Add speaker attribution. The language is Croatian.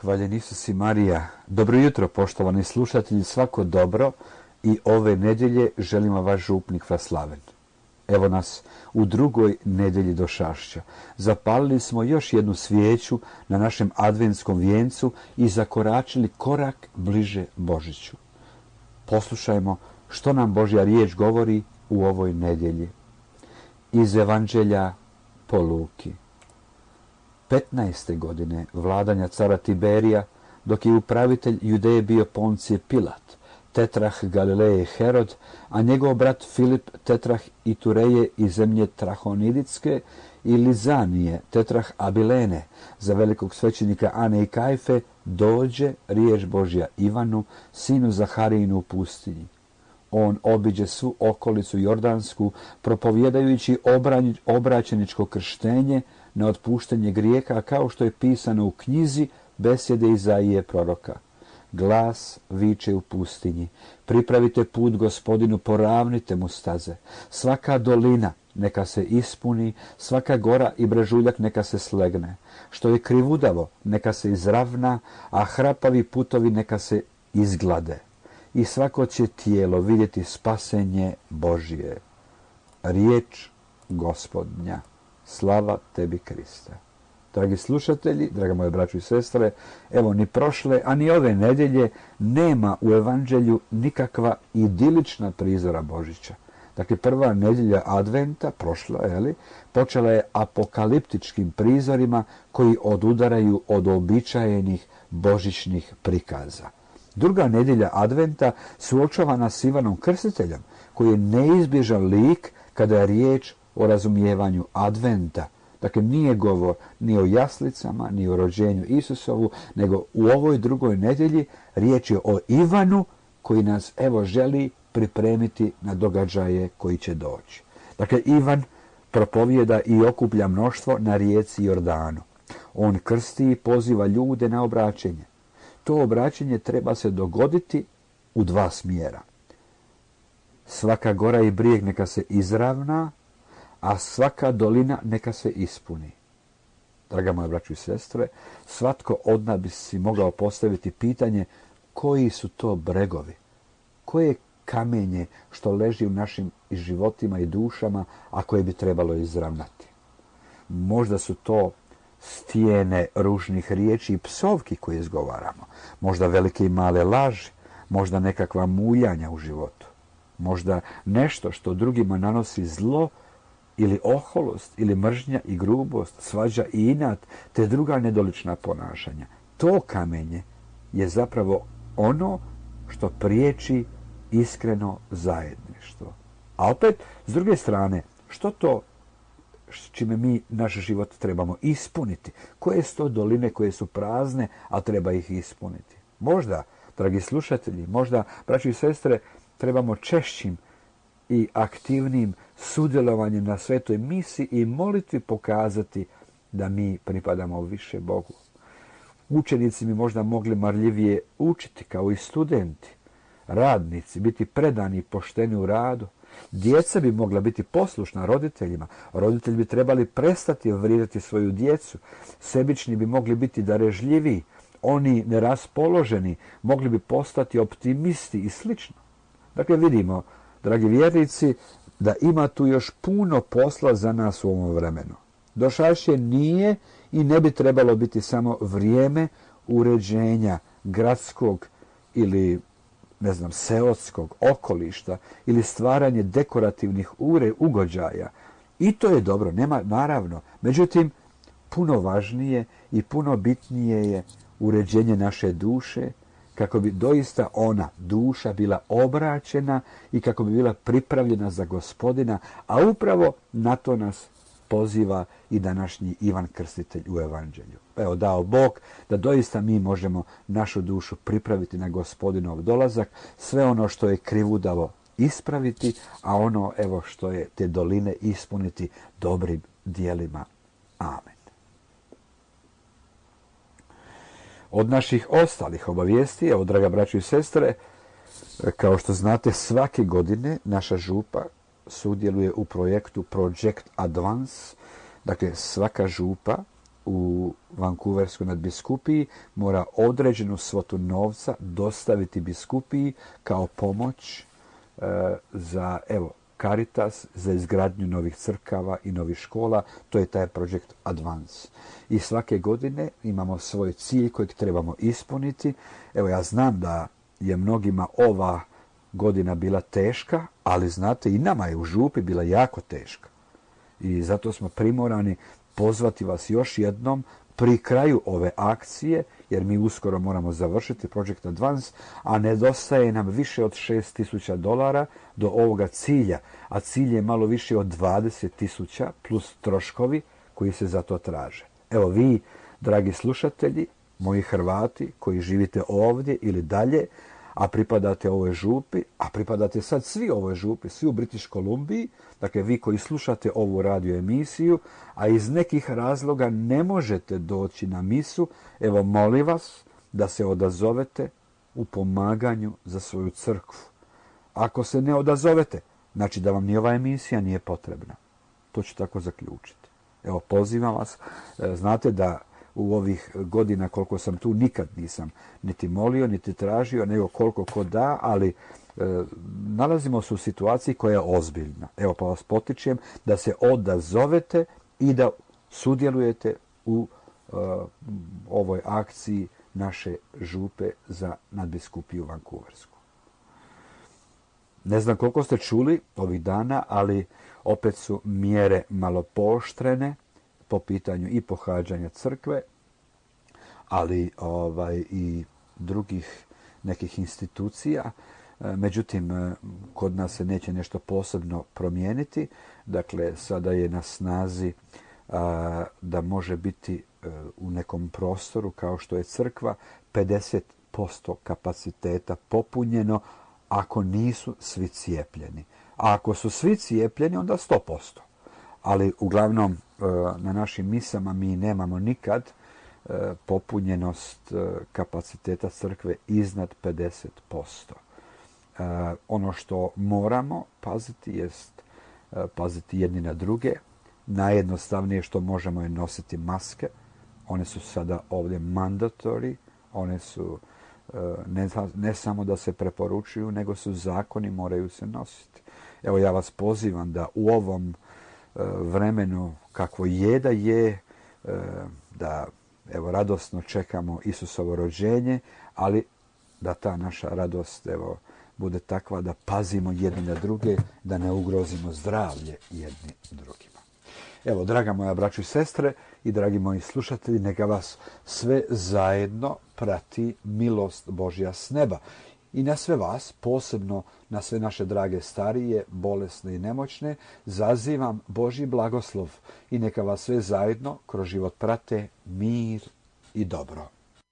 Speaker 1: Hvaljen Isus i Marija. Dobro jutro, poštovani slušatelji, svako dobro i ove nedjelje želimo vaš župnik Vaslaven. Evo nas u drugoj nedjelji došašća. Zapalili smo još jednu svijeću na našem adventskom vijencu i zakoračili korak bliže Božiću. Poslušajmo što nam Božja riječ govori u ovoj nedjelji. Iz Evanđelja po Luki. 15. godine vladanja cara Tiberija, dok je upravitelj Judeje bio Poncije Pilat, tetrah Galileje Herod, a njegov brat Filip tetrah Itureje i zemlje Trahoniditske i Lizanije tetrah Abilene, za velikog svećenika Ane i Kajfe, dođe riječ Božja Ivanu, sinu Zaharijinu u pustinji. On obiđe svu okolicu Jordansku, propovjedajući obraćeničko krštenje na otpuštenje grijeha, kao što je pisano u knjizi besjede Izaije proroka. Glas viče u pustinji: pripravite put Gospodinu, poravnite mu staze. Svaka dolina neka se ispuni, svaka gora i brežuljak neka se slegne. Što je krivudavo neka se izravna, a hrapavi putovi neka se izglade. I svako će tijelo vidjeti spasenje Božje. Riječ Gospodnja. Slava tebi, Kriste. Dragi slušatelji, draga moje braćo i sestre, evo ni prošle, a ni ove nedjelje nema u Evanđelju nikakva idilična prizora Božića. Dakle, prva nedjelja Adventa, prošla, počela je apokaliptičkim prizorima koji odudaraju od uobičajenih božićnih prikaza. Druga nedjelja Adventa suočava nas s Ivanom Krstiteljem, koji je neizbježan lik kada je riječ o razumijevanju Adventa. Dakle, nije govor ni o jaslicama, ni o rođenju Isusovu, nego u ovoj drugoj nedjelji riječ je o Ivanu koji nas želi pripremiti na događaje koji će doći. Dakle, Ivan propovijeda i okuplja mnoštvo na rijeci Jordanu. On krsti i poziva ljude na obraćenje. To obraćenje treba se dogoditi u dva smjera. Svaka gora i brijeg neka se izravna, a svaka dolina neka se ispuni. Draga moja braćo i sestre, svatko od nas bi si mogao postaviti pitanje: koji su to bregovi? Koje kamenje što leži u našim životima i dušama, a koje bi trebalo izravnati? Možda su to stijene ružnih riječi i psovki koje izgovaramo. Možda velike i male laži. Možda nekakva muljanja u životu. Možda nešto što drugima nanosi zlo, ili oholost, ili mržnja i grubost, svađa i inat, te druga nedolična ponašanja. To kamenje je zapravo ono što priječi iskreno zajedništvo. A opet, s druge strane, što to s čime mi naš život trebamo ispuniti? Koje su to doline koje su prazne, a treba ih ispuniti? Možda, dragi slušatelji, možda, braći i sestre, trebamo češćim i aktivnim sudjelovanjem na svetoj misi i molitvi pokazati da mi pripadamo više Bogu. Učenici bi možda mogli marljivije učiti kao i studenti, radnici biti predani i pošteni u radu. Djeca bi mogla biti poslušna roditeljima. Roditelji bi trebali prestati vrijedati svoju djecu. Sebični bi mogli biti darežljiviji. Oni neraspoloženi mogli bi postati optimisti i slično. Dakle, vidimo, dragi vjernici, da ima tu još puno posla za nas u ovom vremenu. Došašće nije i ne bi trebalo biti samo vrijeme uređenja gradskog ili seoskog okolišta ili stvaranje dekorativnih ugođaja. I to je dobro, nema, naravno. Međutim, puno važnije i puno bitnije je uređenje naše duše, kako bi doista ona, duša, bila obraćena i kako bi bila pripravljena za Gospodina, a upravo na to nas poziva i današnji Ivan Krstitelj u Evanđelju. Evo, dao Bog da doista mi možemo našu dušu pripraviti na Gospodinov dolazak, sve ono što je krivudavo ispraviti, a ono što je te doline ispuniti dobrim djelima. Amen. Od naših ostalih obavijesti, evo, draga braćo i sestre, kao što znate, svake godine naša župa sudjeluje u projektu Project Advance. Dakle, svaka župa u Vancouverskoj nadbiskupiji mora određenu svotu novca dostaviti biskupiji kao pomoć za, evo, Caritas, za izgradnju novih crkava i novih škola. To je taj projekt Advance. I svake godine imamo svoj cilj kojeg trebamo ispuniti. Evo, ja znam da je mnogima ova godina bila teška, ali znate, i nama je u župi bila jako teška. I zato smo primorani pozvati vas još jednom pri kraju ove akcije, jer mi uskoro moramo završiti Project Advance, a nedostaje nam više od $6,000 do ovoga cilja, a cilj je malo više od 20,000 plus troškovi koji se za to traže. Evo vi, dragi slušatelji, moji Hrvati koji živite ovdje ili dalje, a pripadate ovoj župi, a pripadate sad svi ovoj župi, svi u British Kolumbiji, dakle vi koji slušate ovu radio emisiju, a iz nekih razloga ne možete doći na misu, evo molim vas da se odazovete u pomaganju za svoju crkvu. Ako se ne odazovete, znači da vam ni ova emisija nije potrebna. To ću tako zaključiti. Evo, pozivam vas, znate da u ovih godina koliko sam tu nikad nisam niti molio, niti tražio, nego koliko ko da, ali nalazimo se u situaciji koja je ozbiljna. Evo, pa vas potičem da se odazovete i da sudjelujete u ovoj akciji naše župe za nadbiskupiju Vancouversku. Ne znam koliko ste čuli ovih dana, ali opet su mjere malo pooštrene po pitanju i pohađanja crkve, ali i drugih nekih institucija. Međutim, kod nas se neće nešto posebno promijeniti. Dakle, sada je na snazi da može biti u nekom prostoru kao što je crkva 50% kapaciteta popunjeno ako nisu svi cijepljeni. A ako su svi cijepljeni, onda 100%. Ali uglavnom na našim misama mi nemamo nikad popunjenost kapaciteta crkve iznad 50%. Ono što moramo paziti jest paziti jedni na druge. Najjednostavnije što možemo je nositi maske. One su sada ovdje mandatory. One su ne samo da se preporučuju, nego su zakoni, moraju se nositi. Evo, ja vas pozivam da u ovom vremenu kakvo je da evo radosno čekamo Isusovo rođenje, ali da ta naša radost evo bude takva da pazimo jedni na druge, da ne ugrozimo zdravlje jedni drugima. Evo, draga moja braćo i sestre i dragi moji slušatelji, neka vas sve zajedno prati milost Božja s neba. I na sve vas, posebno na sve naše drage starije, bolesne i nemoćne, zazivam Božji blagoslov i neka vas sve zajedno kroz život prate mir i dobro.